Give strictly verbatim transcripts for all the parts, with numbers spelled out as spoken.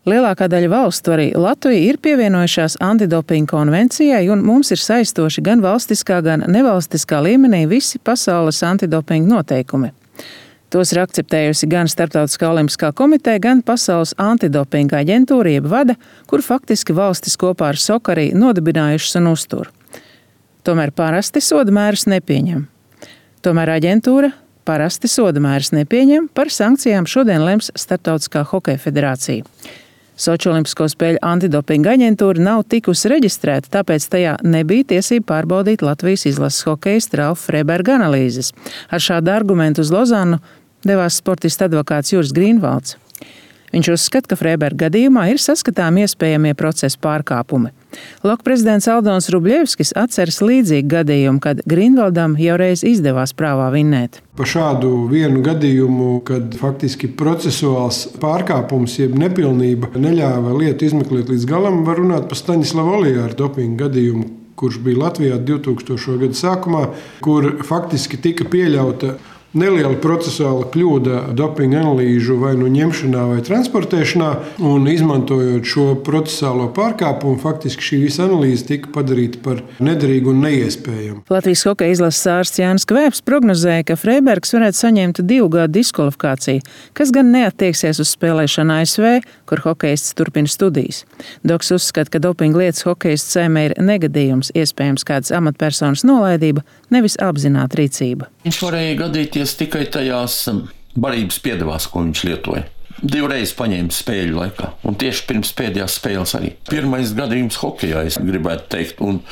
Lielākā daļa valstu, arī Latvija, ir pievienojušās antidopinga konvencijai, un mums ir saistoši gan valstiskā, gan nevalstiskā līmenī visi pasaules antidopinga noteikumi. Tos ir akceptējusi gan Starptautiskā olimpiskā komiteja, gan Pasaules antidopinga aģentūra, jeb vada, kur faktiski valstis kopā ar S O C arī nodibinājušas un uztur. Tomēr parasti sodamērus nepieņem. Tomēr aģentūra parasti sodamērus nepieņem, par sankcijām šodien lems Starptautiskā hokeja federācija. Soči Olimpisko spēļu antidopinga aģentūra nav tikusi reģistrēta, tāpēc tajā nebija tiesība pārbaudīt Latvijas izlases hokejistu Ralfa Freiberga analīzes. Ar šādu argumentu uz Lozannu devās sportista advokāts Juris Grīnvalds. Viņš uzskata, ka Freiberga gadījumā ir saskatāmi iespējamie procesa pārkāpumi. Loka prezidents Aldons Rubļevskis atceras līdzīgu gadījumu, kad Grīnvaldam jau reiz izdevās prāvā vinnēt. Par šādu vienu gadījumu, kad faktiski procesuāls pārkāpums, jeb nepilnība neļāva lietu izmeklēt līdz galam, var runāt par Staņislavu Olijāru dopinga gadījumu, kurš bija Latvijā divtūkstošo gadu sākumā, kur faktiski tika pieļauta neliela procesuāla kļūda dopinga analīžu vai nu ņemšanā vai transportēšanā, un izmantojot šo procesuālo pārkāpumu, faktiski šī visa analīze tika padarīta par nederīgu un neiespējamu. Latvijas hokeja izlases ārsts Jānis Kvēps prognozēja, ka Freibergs varētu saņemt divu gadu diskvalifikāciju, kas gan neattieksies uz spēlēšanu A S V, kur hokejists turpina studijas. Doks uzskata, ka dopinga lietas hokejists saimē ir negadījums, iespējams kādas amatpersonas nolaidība, nevis apzināta rīcība. Viņš varēja gadīties tikai tajās barības piedevās, ko viņš lietoja. Divreiz paņēma spēļu laikā, un tieši pirms pēdējās spēles arī. Pirmais gadījums hokejā, es gribētu teikt, un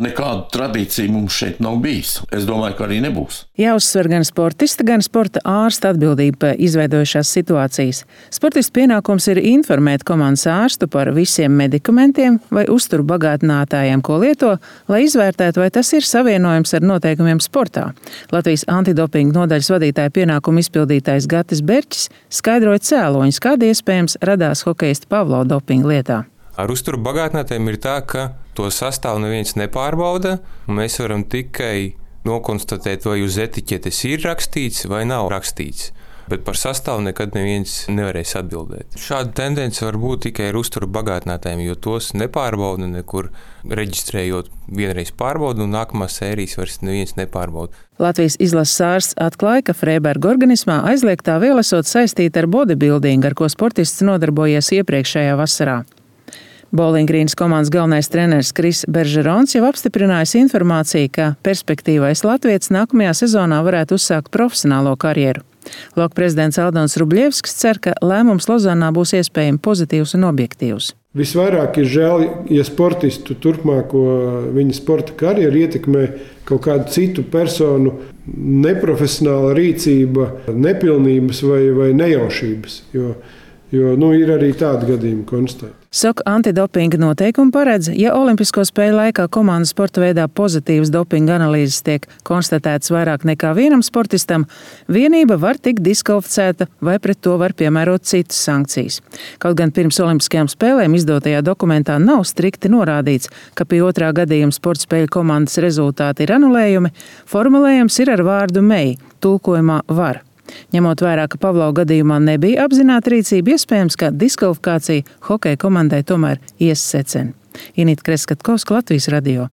nekādu tradīciju mums šeit nav bijis. Es domāju, ka arī nebūs. Jāuzsver gan sportista, gan sporta ārsta atbildība par izveidojušās situācijas. Sportista pienākums ir informēt komandas ārstu par visiem medikamentiem vai uzturu bagātinātājiem, ko lieto, lai izvērtētu, vai tas ir savienojams ar noteikumiem sportā. Latvijas antidopinga nodaļas vadītāja pienākumu izpildītājs Gatis Berķis skaidroja cēloņus, kādi iespējams radās hokejista Pavlo dopinga lietā. Ar uzturu bagātinātājiem ir tā, ka to sastāvu neviens nepārbauda, un mēs varam tikai nokonstatēt, vai uz etiķetes ir rakstīts vai nav rakstīts. Bet par sastāvu nekad neviens nevarēs atbildēt. Šāda tendence var būt tikai ar uzturu bagātinātājiem, jo tos nepārbauda nekur reģistrējot. Vienreiz pārbauda, un nākamās sērijas vairs neviens nepārbauda. Latvijas izlases ārsts atklāja, ka Freiberga organismā aizliegtā viela esot saistīta ar bodybuildingu, ar ko sportists nodarbojies iepriekšējā vasarā. Bowling Greens komandas galvenais treneris Kris Beržerons jau apstiprinājis informāciju, ka perspektīvais latvietis nākamajā sezonā varētu uzsākt profesionālo karjeru. Loka prezidents Aldons Rubļevskis cer, ka lēmums Lozannā būs iespējami pozitīvs un objektīvs. Visvairāk ir žēl, ja sportistu turpmāko viņa sporta karjeru ietekmē kaut kādu citu personu neprofesionāla rīcība, nepilnības vai, vai nejaušības, jo, jo nu, ir arī tādi gadījumi konstatēti. S O C antidopinga noteikumi paredz, ja Olimpisko spēļu laikā komandas sporta veidā pozitīvas dopinga analīzes tiek konstatētas vairāk nekā vienam sportistam, vienība var tikt diskvalificēta vai pret to var piemērot citas sankcijas. Kaut gan pirms Olimpiskajām spēlēm izdotajā dokumentā nav strikti norādīts, ka pie otrā gadījuma sporta spēļu komandas rezultāti ir anulējumi, formulējums ir ar vārdu may, tulkojumā var. Ņemot vērā, ka Pavlo gadījumā nebija apzināta rīcība, iespējams, ka diskvalifikācija hokeja komandai tomēr ies secen. Inita Kreskatkovska, Latvijas radio.